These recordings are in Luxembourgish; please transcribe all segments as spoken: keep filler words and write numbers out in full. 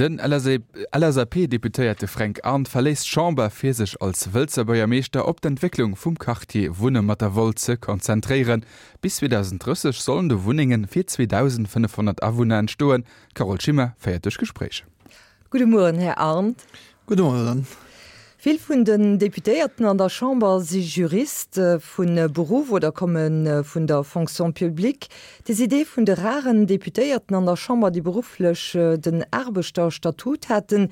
Den LSAP-Deputéierte Fränk Arndt verléisst d'Chamber, fir sech als Wëlzer Buergermeeschter op d'Entwécklung vum Quartier Wunne mat der Woll ze konzentréieren. Bis zweedausend drësseg sollen do Wunnenge fir zweedausendfënnefhonnert Awunner entstoen. D'Carole Schimmer féiert duerch d'Gespréich. Gudde Mueren, Här Arndt. Gudde Mueren. Vill vun den Deputéierten an der Chamber si Jurist vu Beruff oder komme vun der Fonction publique. Dir sidd ee vun de raren Deputéierten an der Chamber, déi berufflech den Aarbechterstatut haten.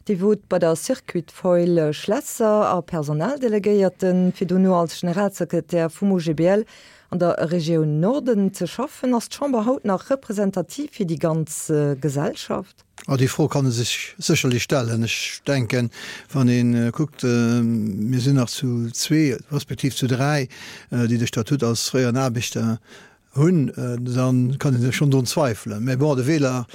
Dir wot bei der Circuit Foil Schlesser a Personaldelegéierten, fir dono als Generalsekretär vum O G B L an der Regioun Norden ze schaffen. Ass d'Chamber haut nach representativ fir déi ganz Gesellschaft? Ah, déi Fro kann ee sech sécherlech stellen. Ech denken, wann ee kuckt, mir sinn nach zu zwee respektiv zu dräi, déi de Statut als fréieren Aarbechter hunn, dann kann ee sech schonn drun zweifelen. Mä bon, de Wieler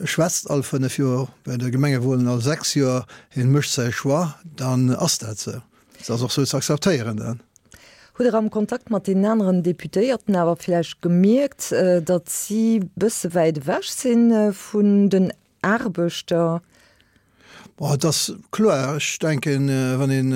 schwätzt all fënnef Joer, bei de Gemengewahlen all sechs Joer, hien mécht säi Choix, dann ass dat sou. Dat ass och sou ze akzeptéieren dann. Hutt Der am Kontakt mat den aneren Deputéierten awer vläicht gemierkt, datt si bësse wäit ewech si vun den Aarbechter? Bon, et ass kloer, ech denken, wann een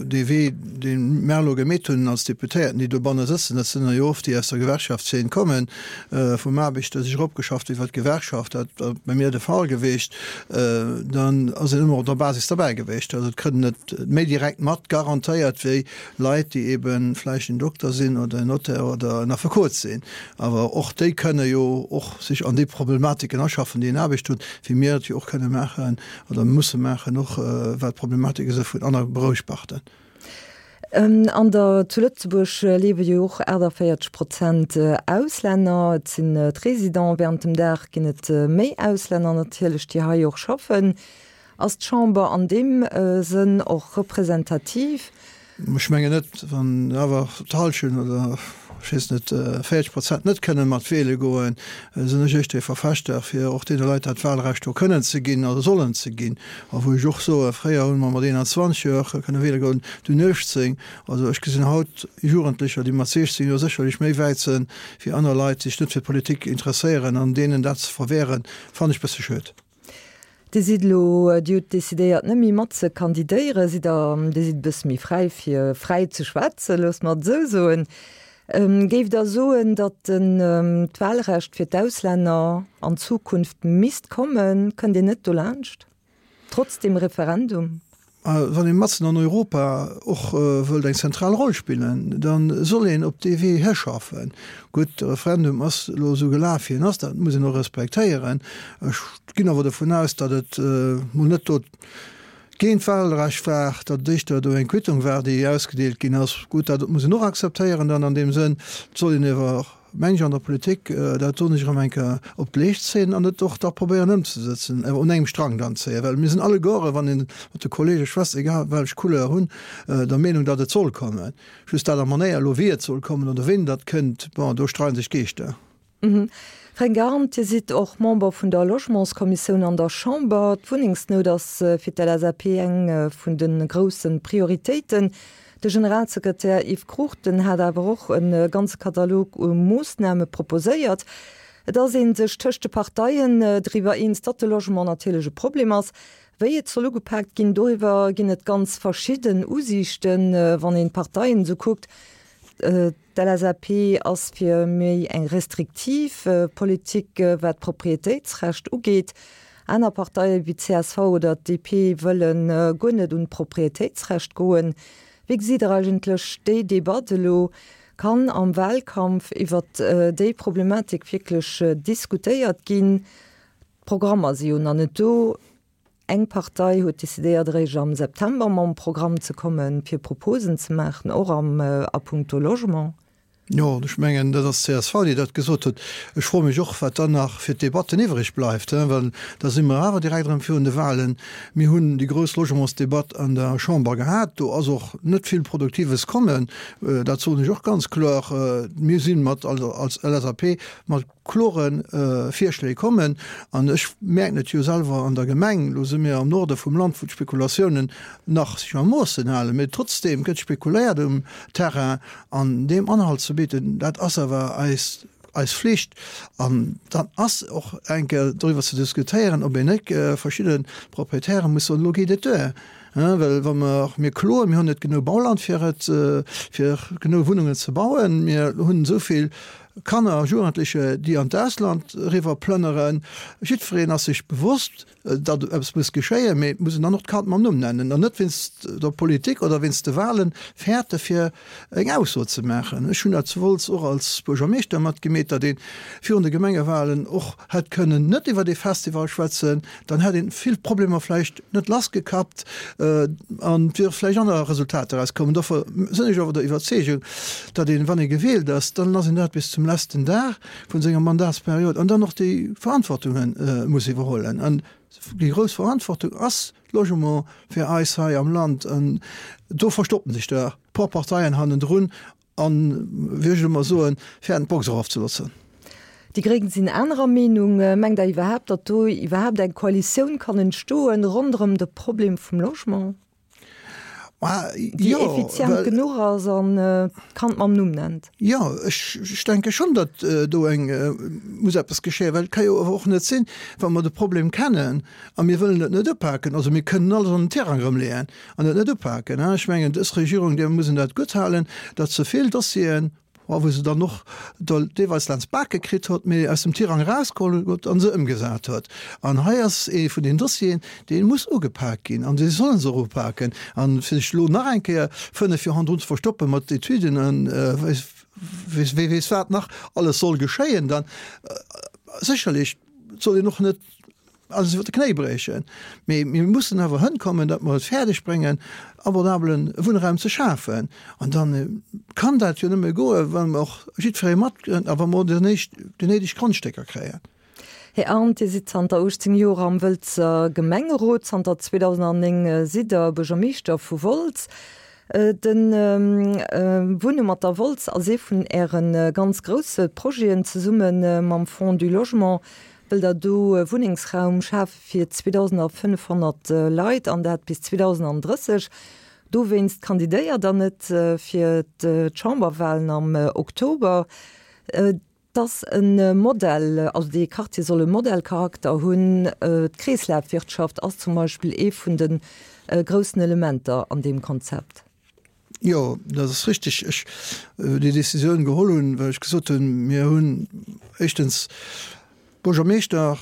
dee Wee, dee mär elo gemeet hunn als Deputéierten, déi dobanne sëtzen, dat sinn der jo oft, déi aus der Gewerkschaftszeen kommen, vum Aarbechter sech eropgeschafft iwwert d'Gewerkschaft, dat ass bei mir de Fall gewiescht, dann ass een ëmmer op der Basis derbäi gewiescht. Also et kritt een et méi direkt mat, garantéiert, wéi Leit, déi eebe vläicht en Dokter sinn oder en Notaire oder en Affekot sinn. Awer och déi kënne jo och sech an déi Problematiken aschaffen, déi en Aarbecht huet, wéi mir et jo och kënne maachen oder musse maachen. Maachen, och wat d'Problematike si vun anere Beruffssparten. An der zu Lëtzebuerg liewe jo och achtundvéierzeg Prozent Auslänner. Et sinn d'Residenten. Während dem Dag ginn et méi Auslänner natierlech, déi hei och schaffen. Ass d'Chamber an deem Sënn och representativ? Ech mengen net, wann awer d'Hallschent oder ech weess net véierzeg Prozent net kënne mat wiele goen, sinn ech éischter ee Verfechter, fir och deene Leit dat Wahlrecht do kënnen ze ginn oder sollen ze ginn. A wou ech och soen, fréier hu mer mat eenanzwanzeg Joer kënne wiele goen, dunn uechtzéng. Also ech gesinn haut Jugendlecher, déi mat siechzéng Joer sécherlech méi wäit sinn, wéi aner Leit, déi sech net fir d'Politik interesséieren, an deenen dat ze verwehren, fannen ech bësse schued. Dir sidd elo, Dir hutt decidéiert net méi mat ze kandidéieren, sidd der, Dir sidd e bësse méi fräi fir fräi ze schwätzen, loosse mer et esou soen. Géift Der soen, datt den d'Wahlrecht fir d'Auslänner an Zukunft misst kommen? Kënnt Dir net dolaanscht, trotz dem Referendum? Wann ee matzen an Europa och wëllt eng zentral Roll spillen, da soll een op dee Wee hischaffen. Gutt, de Referendum ass elo esou gelaf, wéi en ass, dat muss een och respektéieren. Ech ginn awer dovun aus, datt et mol net do géint d'Wahlrecht war, datt et éischter do eng Quittung war, déi ausgedeelt ginn ass. Gutt, dat muss een och akzeptéieren dann an deem Sënn. Et soll een awer meng ech an der Politik dat do nech erëm eng Kéier op d'Leescht zéien an et och da probéieren ëmzesetzen, awer un engem Strang dann zéien, well mir sinn alleguere, wann een mat de Kollege schwätzt, egal welch Couleur hunn, der Meenung, datt et soll kommen. Just dat a Manéier elo, wéi et soll kommen oder wéini dat kënnt, bon, do streiden sech d'Geeschter. Fränk Arndt, Dir sidd och Member vun der Logementskommissioun an der Chamber. D'Wunnengsnout ass fir d'L S A P eng vun de grousse Prioritéiten. De Generalsekretär Yves Cruchten hat awer och e ganze Katalog u Moossname proposéiert. Et ass ee sech tëscht de Parteien driwwer eens, datt de Logement natierlech e Problem ass. Wéi et soll ugepaakt ginn, doriwwer ginn et ganz verschidden Usiichten, wann een d'Parteien esou kuckt. D'L S A P ass fir méi eng restriktiv Politik, wat d'Proprietéitsrecht ugeet. Aner Parteie wéi d'C S V oder d'D P wëlle guer net un d'Proprietéitsrecht goen. Wéi gesitt Der eigentlech déi Debatt elo? Kann am Wahlkampf iwwer déi Problematik wierklech diskutéiert ginn? D'Programmer si jo nach net do. Eng Partei huet decidéiert, eréischt am September mam Programm ze kommen, fir Proposen ze maachen, och am a puncto Logement. Jo, ech mengen, dat ass d'C S V, déi dat gesot huet. Ech froe mech och, wat dann nach fir d'Debatten iwwreg bleift, well da si mer awer direkt erëm virun de Wahlen. Mir hunn déi grouss Logementsdebatt an der Chamber gehat. Do ass och net vill Produktives kommen. Dat soen ech och ganz kloer. Mir si mat als L S A P mat klore Virschléi kommen. An ech mierken et jo selwer an der Gemeng, elo si mir am Norde vum Land, wou d'Spekulatiounen nach sech a Moossen halen, mee trotzdeem gëtt spekuléiert um Terrain. An deem Anhalt ze bidden, dat ass awer eis, eis Flicht. An dann ass och eng Kéier doriwwer ze diskutéieren, ob een net verschidde Proprietäre muss soen, elo geet et duer. Well wa mer, mir kloen, mir hunn net genuch Bauland fir et, fir genuch Wunnungen ze bauen, mir hunn esou vill Kanner a Jugendleche déi an d'Ausland eriwwer plënneren. Jiddwereen ass sech bewosst, datt eppes muss geschéien, mee et muss een dann och d'Kand mam Numm nennen an net wéinst der Politik oder wéinst de Wahlen fäerte fir eng Ausso ze maachen. Ech hunn dat zu Wolz och als Buergermeeschter matgemeet, datt ee virun de Gemengewahlen och hätt kënnen net iwwer dee Festival schwätzen, dann hätt ee vill Problemer vläicht net lassgekappt an et wiere vläicht aner Resultater erauskomm. Dofir sinn ech awer der Iwwerzeegung, datt een, wann ee gewielt ass, dann ass een dat bis zum letzten Dag vun senger Mandatsperiod an dann och déi Verantwortunge muss iwwerhuelen. An déi grouss Verantwortung ass Logement fir eis hei am Land. An do verstoppen sech der puer Parteien hannendrun an, wéi ech ëmmer soen, fäerten d'Box erofzeloossen. Déi Gréng sinn anerer Meenung. Mengt Der iwwerhaapt, datt do iwwerhaapt eng Koalitioun kann entstoen ronderëm de Problem vum Logement? Déi effizient genuch ass an d'Kand mam Numm nennt. Jo, ech denke schonn, datt do eng muss eppes geschéien, well et ka jo awer och net sinn, wa mer de Problem kennen a mir wëllen et net upaken. Also mir kënnen alles an den Tirang erëmleeën an et net upaken. Ech mengen, dës Regierung, där muss een dat gutthalen, datt se vill Dossieren, a wou se dann och deelweis laanscht d'Bake kritt huet, mee aus dem Tirang erausgeholl huet a se ëmgesat huet. An hei ass ee vun den Dossieren, dee muss ugepak ginn, an dee solle se och upaken. A fir sech elo nach eng Kéier fënnef Joer hannendrun ze verstoppe mat Etüden a wee weess wat nach alles soll geschéien, dann sécherlech soll een och net alles iwwer de Knéi briechen. Mee mir mussen awer hënkommen, datt mer et fäerdeg bréngen, abordabele Wunnraum ze schafen. An da kann dat jo nëmme goen, wa mer och jiddweree matkriegen a wa mer och déi néideg Grondstécker kréien. Här Arndt, Dir sidd zanter uechtzéng Joer am Wëlzer Gemengerot, zanter zweedausendnéng sidd Der Buergermeeschter vu Wolz. De Wunne mat der Wolz ass ee vun Äre ganz grousse Projeten. Zesumme mam Fonds du Logement wëllt Der do Wunnengsraum schafe fir zweedausendfënnefhonnert Leit, an dat bis zweedausendrësseg. Dowéinst kandidéiert Der net fir d'Chamberwalen am Oktober. Et ass e Modell, also dee Quartier soll e Modellcharakter hunn. D'Kreeslafwirtschaft ass zum Beispill ee vun de groussen Elementer an deem Konzept. Jo, dat ass richtig. Ech déi Décisioun geholl hunn, well ech gesot hunn, mir hunn éischtens Buergermeeschter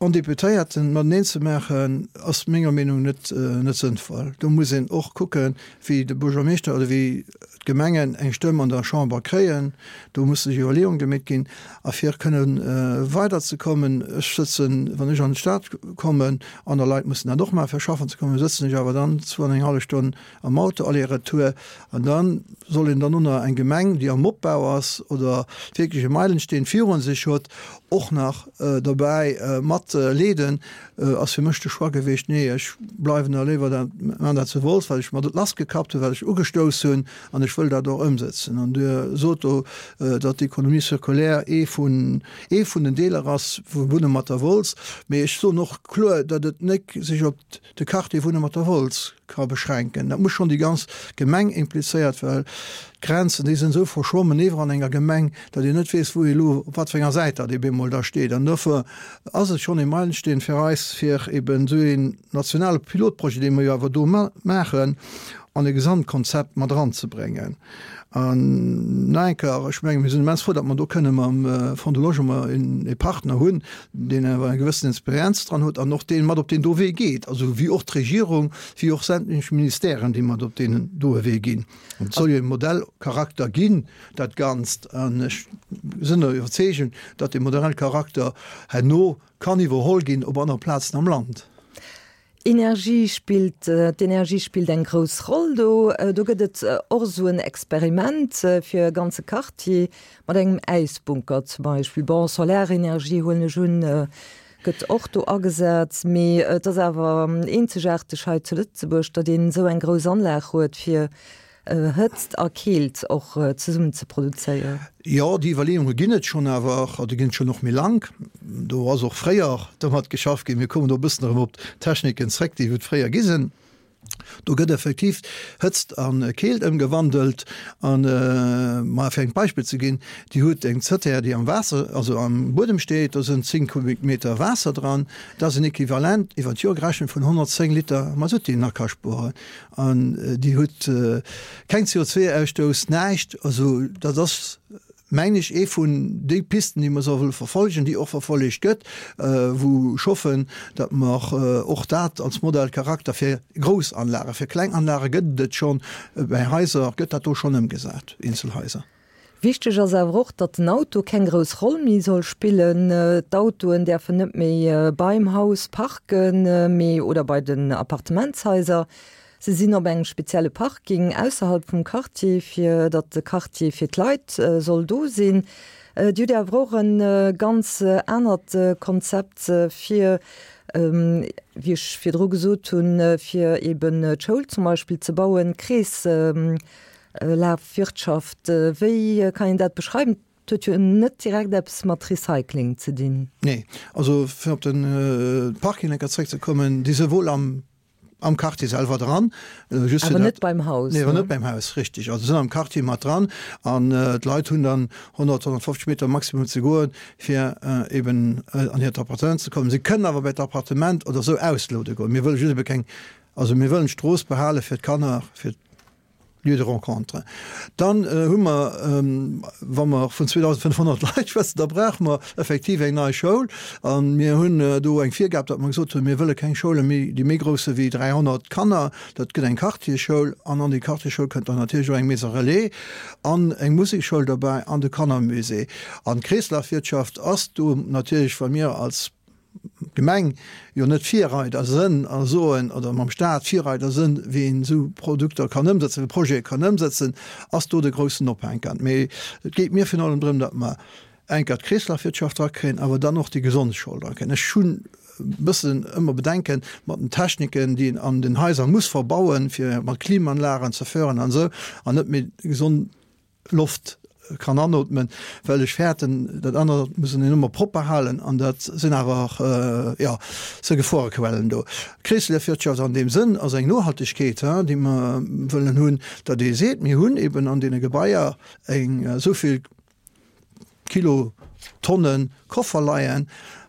an Deputéierten mateneen ze maachen, ass menger Meenung net net sënnvoll. Do muss een och kucken, wéi de Buergermeeschter oder wéi d'Gemengen eng Stëmm an der Chamber kréien. Do musse sech Iwwerleeunge gemeet ginn. A fir kënne weiderzekommen, ech sëtzen, wann ech an d'Stad kommen, aner Leit mussen dat och maachen, fir schaffen ze kommen, sëtzen ech awer dann zwou an eng hallef Stonn am Auto aller-retour. An da soll een dann och nach eng Gemeng, déi am Opbau ass oder wierklech e Meilensteen virun sech huet, och nach dobäi mat leeden, ass fir mech de Choix gewiescht, nee, ech bleiwen da léiwer dat, maan dat zu Wolz, well ech mer dat lassgekappt hunn, well ech ugestouss hunn an ech wëll dat och ëmsetzen. An Dir sot do, datt d'Économie circulaire ee vun, ee vun den Deeler ass vu Wunne mat der Wolz. Mee ech soen och kloer, datt et net sech op de Quartier Wunne mat der Wolz ka beschränken. Dat muss schonn déi ganz Gemeng implizéiert, well d'Grenzen, déi sinn esou verschwommen iwwer an enger Gemeng, datt een net weess, wou ee elo op wat fir enger Säit datt ee bemol da steet. An dofir ass et schonn ee Meilensteen fir eis, fir eben esou een nationale Pilotprojet, dee mer jo awer do maachen, an e Gesamtkonzept mat eranzebréngen. An nach eng Kéier, ech mengen, mir sinn immens frou, datt mer do kënne mam Fonds du Logement ee Partner hunn, deen awer eng gewëssen Experienz dran huet an och dee mat op deen do Wee geet, also wéi och d'Regierung, wéi och sämtlech Ministèren, déi mat op deen doe Wee ginn. Et soll jo e Modellcharakter ginn, dat Ganzt. An ech sinn der Iwwerzeegung, datt dee Modellcharakter herno kann iwwerholl ginn op anere Plazen am Land. Energie spillt, d'Energie spillt eng grouss Roll do. Do gëtt et och esou en Experiment fir e ganze Quartier mat engem Äisbunker zum Beispill. Bon, Solarenergie, huelen ech un, gëtt och do agesat, mee et ass awer eenzegaarteg hei zu Lëtzebuerg, datt een esou eng grouss Anlag huet fir Hëtzt a Keelt och zesummen ze produzéieren. Jo, déi Iwwerleeunge ginn et schonn awer, déi ginn et schonn och méi laang. Do ass och fréier domat geschafft ginn. Mir kommen do e bëssen erëm op d'Techniken zréck, déi et fréier gi sinn. Do gëtt effektiv Hëtzt a Keelt ëmgewandelt. An, ma fir eng Beispill ze ginn, Dir hutt eng Zëttär, déi am Waasser, also am Buedem steet, do sënn zéng Kubikmeter Waasser dran. Dat ass en Equivalent iwwer d'Joer gerechent vun honnertzéng Liter Masutt, déi een nach ka spueren. An Dir hutt keng C O zwei Ausstouss, näischt. Also dat ass, mengen ech, ee vun déi Pisten, déi mer solle verfolgen, déi och verfollegt gëtt, wou ech hoffen, datt mer och dat als Modell Charakter fir grouss Anlagen, fir kleng Anlage gëtt et schonn, bäi Haiser gëtt dat do schonn ëmgesat, eenzel Haiser. Wichteg ass awer och, datt den Auto keng grouss Roll méi soll spillen. D'Autoen däerfen net méi beim Haus parken, mee oder bei den Appartementshaiser. Se sinn op engem spezielle Parking ausserhalb vum Quartier, fir datt de Quartier fir d'Leit soll do sinn. Dir hutt awer och e ganz anert Konzept fir, wéi ech virdru gesot hunn, fir eben d'Schoul zum Beispill ze bauen, Kreeslafwirtschaft. Wéi kann een dat beschreiwen? Et huet jo net direkt eppes mat Recycling ze dinn. Nee, also fir op de Parking enker zréckzekommen, déi si wuel am am Quartier selwer dran. Just awer net beim Haus. Nee, awer net beim Haus, richtig. Also sinn am Quartier mat dran an d'Leit hunn dann honnert, honnertfofzeg Meter maximum ze goen, fir eben an hiert Appartement ze kommen. Si kënnen awer bei d'Appartement oder esou ausloude goen. Mir wëlle just ebe keng, also mir wëllen d'Strooss behale fir d'Kanner, fir Lieu de rencontre. Dann hu mer, wa mer vun zweedausendfënnfhonnert Leit schwätzen, da brauche mer effektiv eng nei Schoul. A mir hunn do eng Virgab, datt mer gesot hunn, mir wëlle keng Schoule méi, déi méi grouss si wéi dräihonnert Kanner. Dat gëtt eng Quartierschoul. An an déi Quartierschoul kënnt dann natierlech och eng Maison relais an eng Musekschoul derbäi an de Kannermusée. An d'Kreeslafwirtschaft ass do natierlech, wa mir als Gemeng jo net Virreider sënn a soen, oder mam Staat Virreider sënn, wéi een esou Produkter kann ëmsetzen, wéi Projete kann ëmsetzen, ass do de groussen Ophänker. Mee et geet mir virun allem drëm, datt mer enker d'Kreeslafwirtschaft drakréien, awer dann och déi gesond Schoul drakréien. Ech hunn e bëssen ëmmer Bedenken mat den Techniken, déi een an den Haiser muss verbauen, fir mat Klimaanlagen ze fördern an esou, an net méi gesond Loft kann anootmen, well ech fäerten, dat anert muss een ëmmer propper halen an dat sinn awer, jo, se Geforequellen do. Kreeslafwirtschaft an deem Sënn ass eng Nohaltegkeet, déi mer wëllen hunn, datt ee seet, mir hunn eben an deene Gebaier eng esou vill Kilo, Tonnen Koffer leien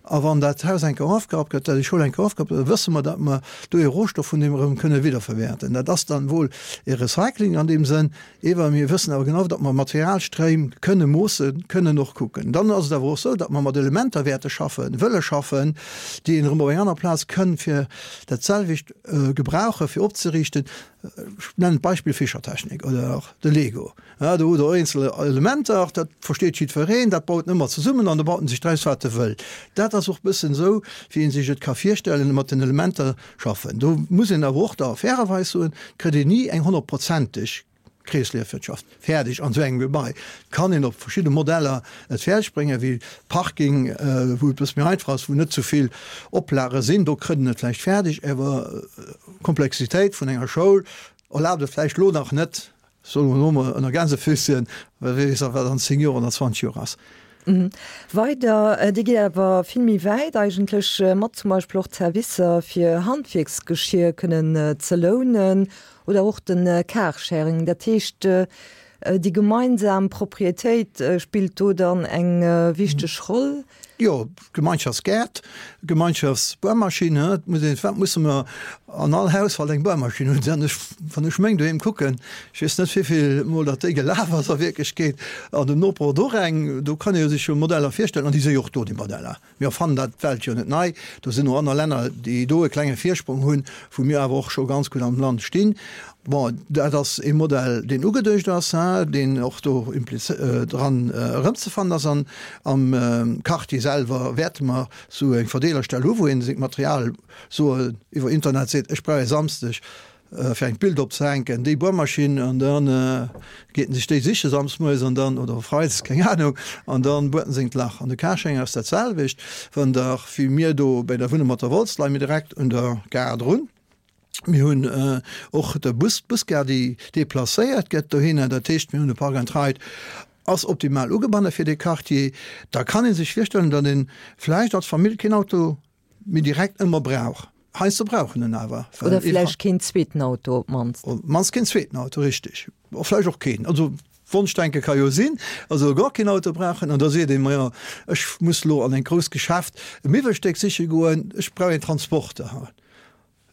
a wann dat Haus eng Kéier ofgerappt gëtt, déi Schoul eng Kéier ofgerappt gëtt, da wësse mer, datt mer do ee Rohstoff vun deem erëm kënne wiederverwäerten. Dat ass dann wuel ee Recycling an deem Sënn, ewer mir wëssen awer genau, datt mer Materialstréim kënne moossen, kënnen och kucken. Dann ass et awer och esou, datt mer mat Elementer wäerte schaffen, wëlle schaffen, déi een erëm op eng aner Plaz kënn fir dat selwecht gebrauche fir opzeriichten. Ech nennen d'Beispill Fischertechnik oder och de Lego. Do hutt Der eenzel Elementer, dat versteet jiddwereen, dat baut en ëmmer zesummen an da baut en sech draus, wat e wëll. Dat ass och e bëssen esou, wéi ee sech et ka virstellen, mat den Elementer schaffen. Do muss een awer och da fairerweis soen, kritt een ni eng honnertprozenteg Kreesleefwirtschaft fäerdeg an esou engem Gebai. Kann een op verschidde Modeller et fäerdeg bréngen, wéi Parking, wou et e bësse méi einfach ass, wou net sou vill Oplage sinn, do kritt een et vläicht fäerdeg, awer d'Komplexitéit vun enger Schoul erlaabt et vläicht elo nach net, soe mer elo mol ënner Gänsefüsschen, well wie weess, wat an zéng Joer oder zwanzeg Joer ass. Weider, Dir gitt awer vill méi wäit eigentlech, mat zum Beispill och d'Servicer fir Handwierksgeschier kënnen ze lounen oder och de Carsharing. Dat heescht, déi gemeinsam Proprietéit spillt do dann eng wichteg Roll. Jo, Gemeinschaftsgäert, Gemeinschaftsbuermaschinn, et muss een, firwat musse mer an all Haushalt eng Buermaschinn hunn? Wann ech, wann ech meng doheem kucken, ech weess net wéivill mol datt déi gelaf ass a Wierklechkeet, an den Noper huet och eng, do kann ee jo sech jo Modeller virstellen, an déi si jo och do, déi Modeller. Mir erfannen dat d'Welt jo net nei, do sinn och aner Länner, déi do e klenge Virsprong hunn, wou mir awer och scho ganz gutt am Land stinn. Bon, dat ass ee Modell, deen ugeduecht ass, deen och do dran erëmzefannen ass. An am Quartier selwer wäerte mer esou eng Verdeelerstell hu wou ee seng Material soe iwwer Internet seet, ech brauch e Samsdeg fir eng Bild opzehänken, déi Buermaschinn, an da geet en sech déi siche samsmoies an dann, oder freides, keng Anung, an da buert en sengt Lach. An de Carsharing ass dat selwecht, wann Der, wéi mir do bei der Wunne mat der Wolz, leie mir direkt un der Gare drun. Mir hunn och de Bus, d'Busgare, déi deplacéiert gëtt dohinner. Dat heescht, mir hunn e Park and Ride, ass optimal ugebanne fir dee Quartier. Da kann ee sech virstellen, datt ee vläicht als Famill keen Auto méi direkt ëmmer brauch. Heiansdo brauch en en awer. Oder vläicht keen zweeten Auto op d'mannst. Op d'mannst keen zweeten Auto, richteg. Vläicht och keen. Also Wonschdenke ka jo sinn. Also gar keen Auto brauchen. An da seet een, majo, ech muss elo an eng grousst Geschäft e Miwwelstéck siche goen, ech brauch een Transporter.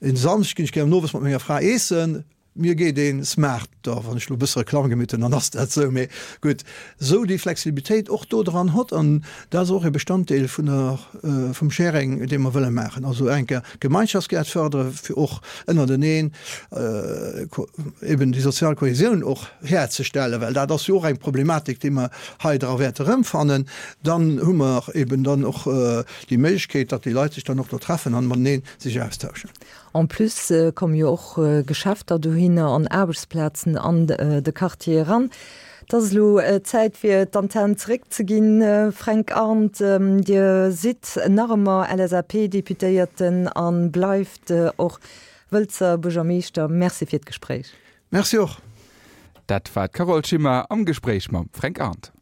En Samschdeg ginn ech gär owes mat menger Fra eessen, mir geet een Smart, da wann ech elo e bësse Reklamm gemeet hunn, dann ass dat esou, mee gutt, esou déi Flexibilitéit och do dran hott an dat ass och e Bestanddeel vun der, vum Sharing, dee mer wëlle maachen, also enker Gemeinschaftsgäert fërdere fir och ënnerteneen eben déi sozial Kohesioun och herzestellen, well dat ass jo och eng Problematik, déi mer hei dra wäerte erëmfannen. Dann hu mer eben dann och déi Méiglechkeet, datt déi Leit sech dann och do treffen an matenee sech austauschen. En plus komme jo och Geschäfter dohinner an Aarbechtsplazen an de Quartier eran. Et ass elo Zäit fir d'Antenn zeréckzeginn. Fränk Arndt, Dir sidd nach ëmmer LSAP-Deputéierten a bleift och Wëlzer Buergermeeschter. Merci fir d'Gespréich. Merci och. Dat war d'Carole Schimmer am Gespréich mam Fränk Arndt.